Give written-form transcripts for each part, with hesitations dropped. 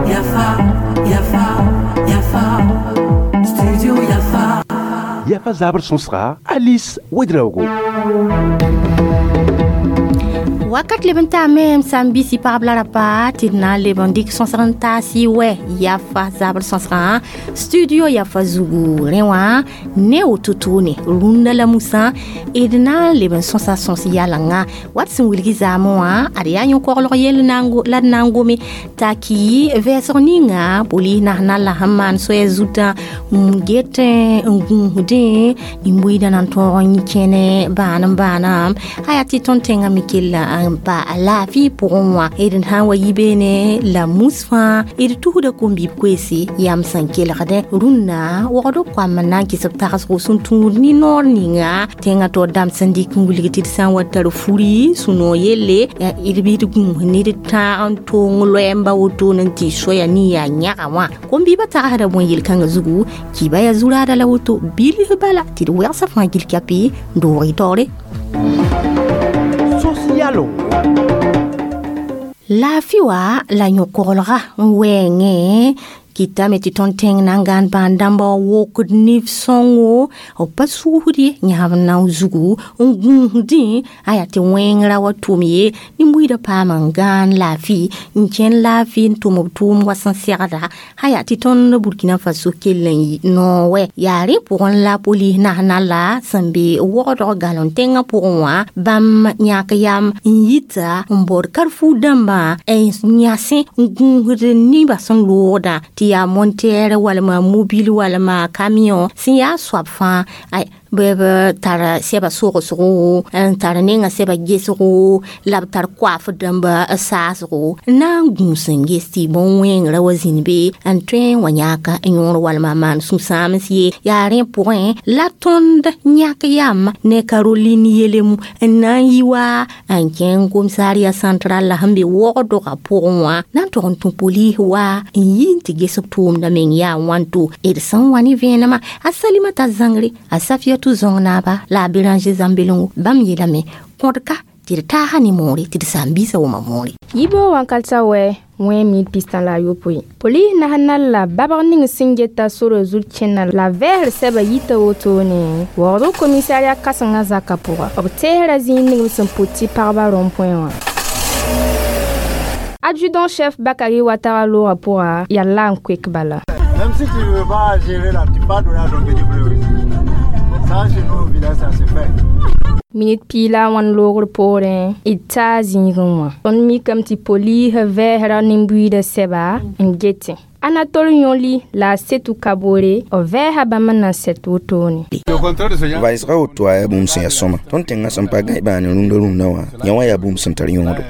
Yafa, Yafa, Yafa, Studio Yafa. Yafa zabr sõsga Alice Ouedraogo. Wakat leb n taame m sã n bisi pagb la rapa tɩ d na n leb n dɩk sõsg n taas y wɛ yafa zabr sõsgã studio yafa zugu. Rẽ wã ne woto toone rũndã la musã d na n leb n sõsa sõs yalenga wat sẽn wilgi zaamẽ wã ad yaa yõ-koglg yell la d na n gome t'a ki vɛɛsg ninga polis nasnal la sẽn maan soɛɛ zutã n get n gũusdẽ nin-buiidã na n tõog n kẽne bãan n bãanam a yaa tɩ tõnd tẽngã me kella n pa a laafɩ pʋgẽ wã d sã n wa yi beene la mus fãa d tusda kom-bib koeese yam sẽn kelgdẽ rũnnã wogd koam n na n kɩs b tagsgo sẽn tũud ne noor ninga tẽngã taoor dãmb sẽn dɩk n wilg tɩ d sã n wa tar furi sũ-noog yelle d bɩ d gũus ne d tãag n tong loɛɛmba wotone n tɩ soaya nin yaa yãga wã kom-biibã tagsda bõe yel-kãngã zugu kiba yaa zu-raada la woto bilf bala tɩ d wɛgsa fãa gil kapi n doog y taoore. Laafɩ wa la yõ-koglga n wɛɛngẽ kɩtame tɩ tõnd tẽng na n gãan bãan dãmba wa wokd nif-sõngo b pa sʋʋsd ye yãsb nao zugu n gũusdẽ a yaa tɩ wẽngrã wa tʋm ye nin-buiidã paam n gãan laafɩ n kẽn laafɩ n tʋm b tʋʋm wa sẽn segda a yaa tɩ tõnd Burkina Faso kell n noog wɛ yaa rẽ pʋgẽ la polis nasnala sẽn be wogdg galon tẽngã pʋgẽ wã bãmb yãk yam n yita n baood karfuu dãmbã n yãsẽ n gũusd nebã sẽn loogdã tɩ yaa monteer walma mobile walma camion sẽn yaa soab fãa b tar sɛba sogsgo n tar nenga sɛba gesgo la b tar koaf dãmba saasgo n na n gũus n ges tɩ bõn-wẽngrã wa zĩnd be n tõe n wa yãaka yõor walma maan sũ-sãams ye yaa rẽ pʋgẽ la tõnd yãk yam ne Caroline Yelemu n na n yi wa n kẽng commissariat central la sẽn be wogdgã pʋgẽ wã na n tog n tũ polis wa n yi n tɩ ges b tʋʋmdã meng yaa wãnto d sẽn wa ne vẽenemã a Salimata Zãngre a Safiatou zõng naaba la a Béranger Zãmbelongo bãmb yeelame kõdka tɩ d taasa ne moore tɩ d saam-biisã wʋma moore. Yibo wankalta wɛ wẽ mil pistã la a yopoe polis nasnal la babg ning sẽn geta sora zut kẽnna la vɛɛsr sɛba yita wotone waoogd komisariat kãsengã zakã pʋga b teesra zĩig ning b sẽn pʋt tɩ pagba rond-point wã. Adjudant chef Bakary Ouattara loogã pʋga yaa la n koek bala. Même si tu ne veux pas gérer là, tu pas donner à ton petit frère aussi. Ça, chez nous au village, ça se fait. Minit piila wãn loogr poorẽ d taa zĩigẽ wã tõnd mikame tɩ polisã vɛɛsra nin-buiidã sɛba n getẽ Anatole Yõli la a Setu Kabore b vɛɛsa bãmb n na n sɛt wotone. Vaɩsga woto wã yaa bũmb sẽn yaa sõma tõnd tẽngã sẽn pa gãe bãane rũndã rũndã wã yã wã yaa bũmb sẽn tar yõodo.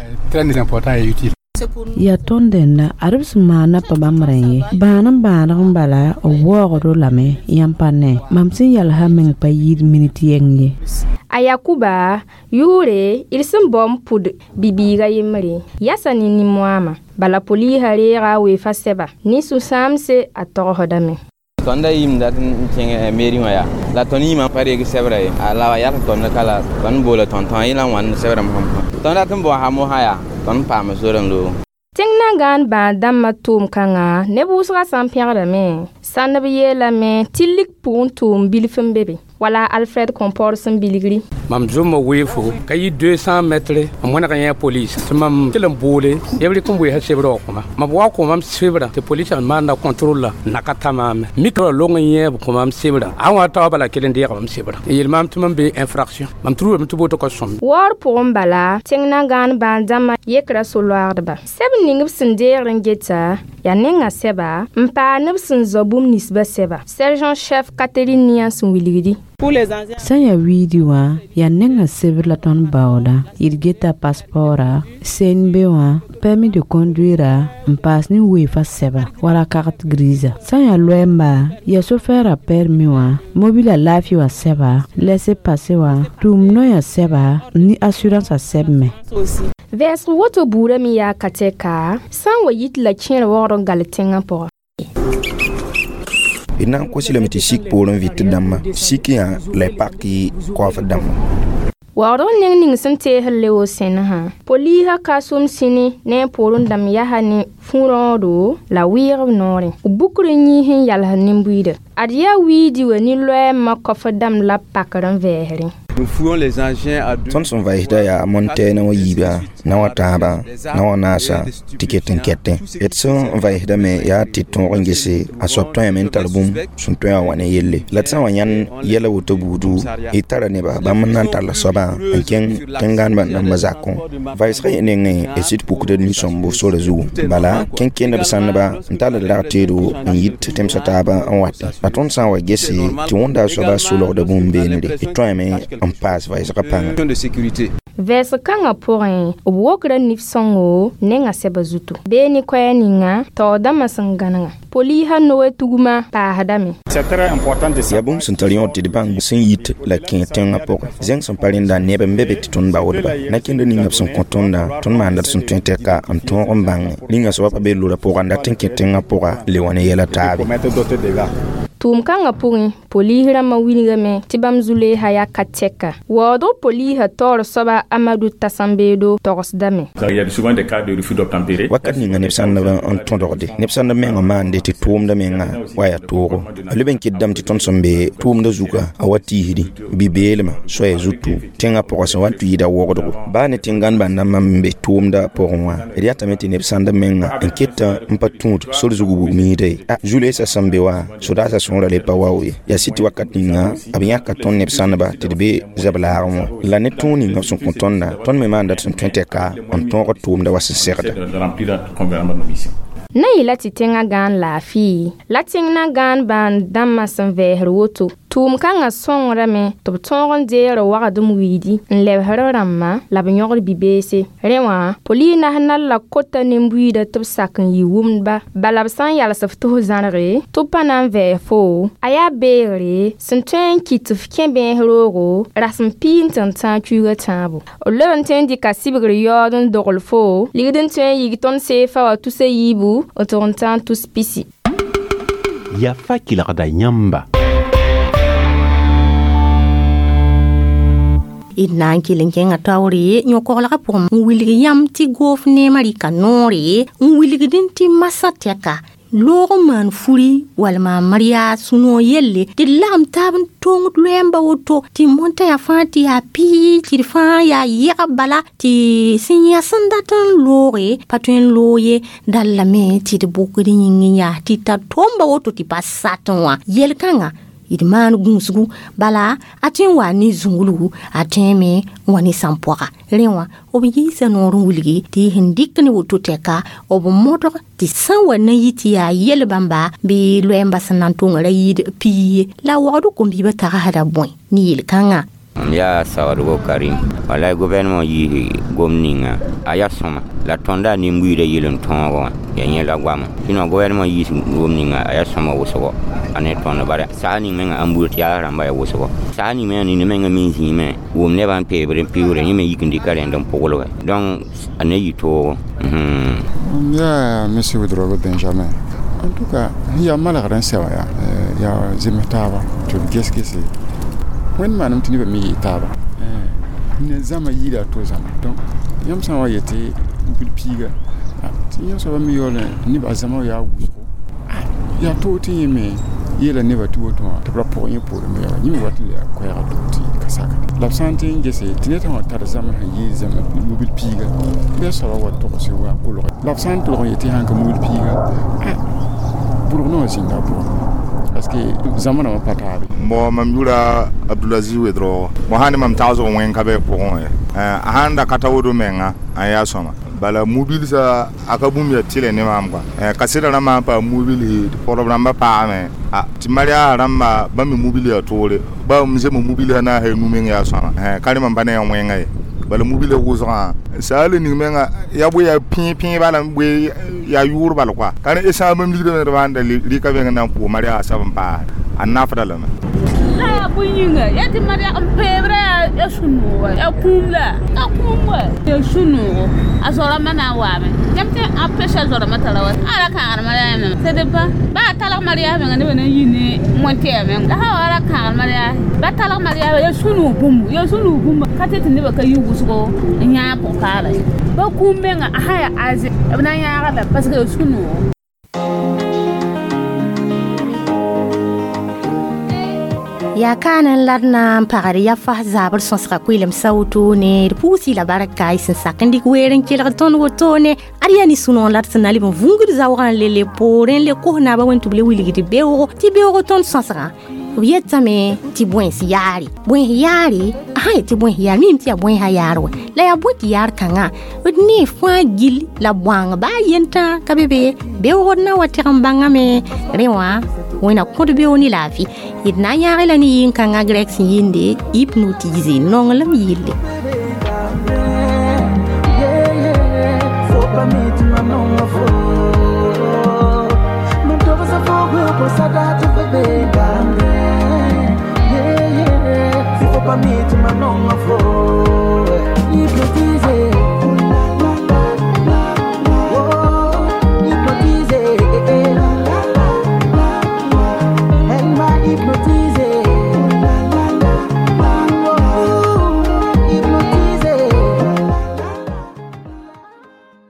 Yaa tõnd dẽnda ad b sẽn maana pa bãmb rẽ ye bãan n bãaneg n bala b waoogd-o lame yãmb pa ne mam sẽn yalsã meng pa yɩɩd minit yɛng ye. A Yakuba yʋʋre d sẽn bao n pʋd bi-biiga yembre yasa ne nin-moaamã bala polisã reega a weefa sɛba ne sũ-sãamse a togsdame. Tõnd da yɩɩm dat n kẽng mairie wã yaa la tõnd yĩmã pa reeg sɛbrã ye la wa yak tõnd ka la tõnd boola tõnd yẽla n wãnd sɛbrã tõnd dat n bao mosã yaa tõnd paam sor n loog. Tẽng na n gãan bãad dãmbã tʋʋm-kãngã neb wʋsgã sã n pẽgdame sãndb yeelame tɩ lik pʋgẽ tʋʋm bilf n be be wala Alfred Compor sẽn bilgri. Mam zʋma weefo ka yɩ 200 mètres n wẽneg yẽ police tɩ mam kell n boole yeb rɩk n weesa sebra wa kõ-ma mam wa kõ mam sebra tɩ polisã maanda contrôle la n na ka ta maame mikra long n yẽeb kõ mam sebra a wã taoɔ bala kell n deega mam sebra n yeel maam tɩ mam be infraction mam truame tɩ boto ka sõm. Waoor pʋgẽ bala tẽng na gãan bãan dãmbã yekra so-loagdba sɛb ning b sẽn deegr n geta yaa nengã sɛba n paa neb sẽn zao bũmb ninsbã sɛba sergent chef Catherine Nian sẽn wilgdi. Sẽn yaa wiidi wã yaa nengã sebr la tõnd baooda d geta passeport CNB wã permis de conduire n paas ne weefa sɛba wala carte grise sã n yaa loɛɛmba yaa sofɛɛra permis wã mobila laafɩ wã sɛba laissez-passer wã tʋʋm noyã sɛba ne assurance a sɛb me. Vɛɛsg woto buudã me yaa ka tɛka sã n wa yit la kẽer waoogd n gal tẽngã pʋga. D na n kos lame tɩ sik poorẽ vɩt dãmbã sik yã la y pak koafd dãmbã. Waoodg ning ning sẽn teesd leo sẽnesã poliisã ka sʋm sĩni ne a poorẽ dãmb yasa ne fũ-rãoodo la wɩɩgb noorẽ b bukr n yĩis n yalsd nin-buiida ad yaa wiidi wa ne loɛɛmã kɔf dãmb la b pakr n vɛɛsrẽ. Tõnd sẽn vaɩsda yaa montɛɛna wã yiiba na wã tãabã na wã naasa tɩ ket n kɛtẽ d sẽn vaɩsdame yaa tɩ tõog n gese a soab tõeme n tar bũmb sẽn tõe wã wa ne yelle la d sã n wa yãnd yɛla woto buudu d tara neba bãmb n na n tall soabã n kẽng tẽn-gãanebã dãmbã zakẽ vaɩsgã yẽ nengẽ d sɩd pukda nin-sõmbo sora zugu bala kẽn-kẽndb sãndba n tall d rag teedo n yit tẽmsã taabã n watẽ la tõnd sã n wa gese tɩ wõnda a soabã solgda bũmb beenre d tõeme n paas vaɩsgã pãnga. Vɛɛsg kãngã pʋgẽ b wokra nif-sõngo nengã sɛba zutu bee ne koɛɛ ninga taoor dãmbã sẽn gãnega poliisã noe tugmã paasdame. Yaa bũmb sẽn tar yõod tɩ d bãng sẽn yit la kẽ tẽngã pʋgẽ zẽng sẽn pa rẽnda neb n be be tɩ tõnd baoodba na-kẽndr ninga b sẽn kõ tõndã tõnd maanda d sẽn tõe tɛka n tõog n bãnge rĩnga soabã pa be lora pʋga n dat n kẽ tẽngã pʋga le wã ne yɛla taabe. Tʋʋm kãngã pʋgẽ poliis rãmbã wilgame tɩ bãmb zu-leesã yaa ka tɛka waoodg poliisã taoor soaba Amadu Tasambeedo togsdame. Wakat ninga neb sãndb n tõdgde neb sãndb mengã maande tɩ tʋʋmda menga wa yaa toogo a leb n kɩtdame tɩ tõnd sẽn be tʋʋmda zuga a wa tiisdi bi-beelmã soaya zutu tẽngã pʋgã sẽn wa n tɩ yɩɩda wogdgo baa ne tẽn-gãnebã dãmbã n be tʋʋmda pʋgẽ wã d yatame tɩ neb sãndb menga n keta n pa tũud sor zug bug-miida ye a zu-leesã sẽn be wã sodaasã sõora le pa wao ye yaa sɩ tɩ wakat ninga b yãka tõnd neb sãndba tɩ d be zab laagẽ wã la ne tõog ninga b sẽn kõ tõnda tõnd me maanda d sẽn tõe tɛka n tõog tʋʋmda wa sẽn segda. Na yɩla tɩ tẽngã gãan laafɩ la tẽng na gãan bãan dãmbã sẽn vɛɛsd woto tʋʋm kãngã sõngrame tɩ b tõog n deegr wagdem wiidi n lebsd rãmbã la b yõgd bi-beese rẽ wã poliis nas nal la kota nin-buiida tɩ b sak n yɩ wʋmdba bala b sã n yals f tɩ f zãrge tɩ b pa na n vɛɛs fo a yaa beegre sẽn tõe n kɩt tɩ f kẽ bẽes roogo rasem piig n tɩ n tãag kuiigã tãabo b leb n tõe n dɩka sɩbgr yaood n dogl fo ligd n tõe n yig tõnd seefa wã tusa yiibu n tʋg n tãag tus pisi. Yafa kelgda yãmba. D na n kell n kẽngã taoore yõ-koglgã pʋgẽ n wilg yãmb tɩ goof neemã rɩka noore n wilgdẽ tɩ masã tɛka loog n maan furi walma maria sũ-noog yelle tɩ d lagem taab n tõngd loɛɛmbã woto tɩ mõntã yaa fãa tɩ yaa pii tɩ d fãa yaa yɛgb bala tɩ sẽn yã sẽn dat n looge pa tõe n loog ye dall lame tɩ d bʋkd yĩng n yaa tɩ tar tʋʋmba woto tɩ pa satẽ wã yel-kãngã d maan gũusgu bala a tõe n wa ne zũnglugu a tõeme n wa ne sãn-pɔga rẽ wã b yiisa noor n wilgi tɩ y sẽn dɩk ne woto tɛka b modg tɩ sã n wa na yɩ tɩ yaa yel bãmba bɩ loɛɛmbã sẽn na n tõnga ra yɩɩd pii ye la waoodg kom-biibã tagsda bõe ne yel-kãngã. Mam yaa Sawadgo Karim walay gouvernement yiisi gom ninga a yaa sõma la tõnda nin-buiidã yel n tõogo wã yaa yẽ la goama sɩnõ gouvernement yiis gom ninga a yaa sõma wʋsgo a ne tõnd bara sag ning menga ãn buud tɩ yaa rãmba yaa wʋsgo sag ning menga nina menga me zĩime wʋm nebã n peebd n piuure yẽ me yik n dɩka rẽnd n pʋglge donc a ne yɩ toogo. Mam yaa monsieur Ouedraogo Benjamin. En tout cas yaa malgr n sɛ wã yaa yaa zems taaba tɩ b ges-gese wẽnd maanam tɩ nebã me yɩ taaba ne zãma yiida to zãma donc yãmb sã n wa yetɩ bil piiga tɩ yãmb soaba me yaool neba zãma yaa wʋsgo yaa toog tɩ yẽ me yeela nebã tɩ woto wã tɩ b ra pʋg yẽ poorẽ me yaa yẽ me wat n le yaa koɛɛga toog tɩ ka sakde la b sã n tɩ n gese tɩ ned sã n wa tar zãma sẽn yee zãma mobil piiga bɩ a soaba wa togs wa kolge la b sã n tolg n yetɩ sãn ka mobil piiga bʋrg no wã zĩnda pʋgẽ parce que zãma rãmbã pa taabe. Bon, mam yʋra Abdulaziz Ouedraogo bõ sã ne mam tagsg wẽng ka bɩ pʋgẽ a sãn da ka ta woto menga a yaa sõma bala mobilsã a ka bũmb yaa tɩlɛ ne maam kɔa kasɛda rãmbã sãn paam mobilsi tɩ pɔdb rãmbã paame tɩ maria rãmba bãmb me mobil yaa toore ba m zeme mobilsã na n sa nu meng yaa sõma ka rẽ mam pa ne yaa wẽnga ye bala mobilã wʋsgã saala ning menga yaa bõe yaa pẽe pẽe bala bõe yaa yʋʋr bal kɔa ka rẽ sã bãmb ligdã me d bãanda rɩka beng na n pʋʋg maria sab n paas a nafda lame. La yaa bõe yĩnga yaa tɩ maria n peebra yaa sũ-noog wa yaa kũum la ka kũum wa yaa sũ sũ-noogo a zoa-rãmbã na n waame yãmb tɩ a pesa zoa-rãmbã tara wa a ra kãagd mariage menga sed ba ba a talg mariage menga nebã na n yi ne wẽn-tɛɛ menga la sã wa ra kãagd mariage ba talg mariage yaa sũ-noog bũmb yaa sũ-noog bũmba ka tɩ tɩ nebã ka yi wʋsgo n yãag pʋg-kaala ye ba kũum menga a sã yaa aze b na n yãaga la parce que yaa sũ-noogo. Yaa kaan n la d na n pagd ya fas zaabr sõsga kʋɩlem sa wotone d pʋʋsɩ la barka y sẽn sak n dɩk weer n kelg tõnd wotone ad yaa ne sũ-noog la d sẽn na leb n vũngd zaoogã n le le poorẽ n le kos naabã wẽn tɩ b le wilgd beoogo tɩ beoogo tõnd sõsgã b yetame tɩ bões yaare bões yaare a sã yetɩ bões yaar mim tɩ yaa bõesã yaar wa la yaa bõe tɩ yaar kãngã d ne fãa gil la bõang baa yentã ka be be beoog d na wa tɩg n bãngame rẽ wã wẽna kõd beoog ne laafɩ d na n yãag la ne yɩn-kãngã grɛk sẽn yɩnde hypnotise nonglem yille.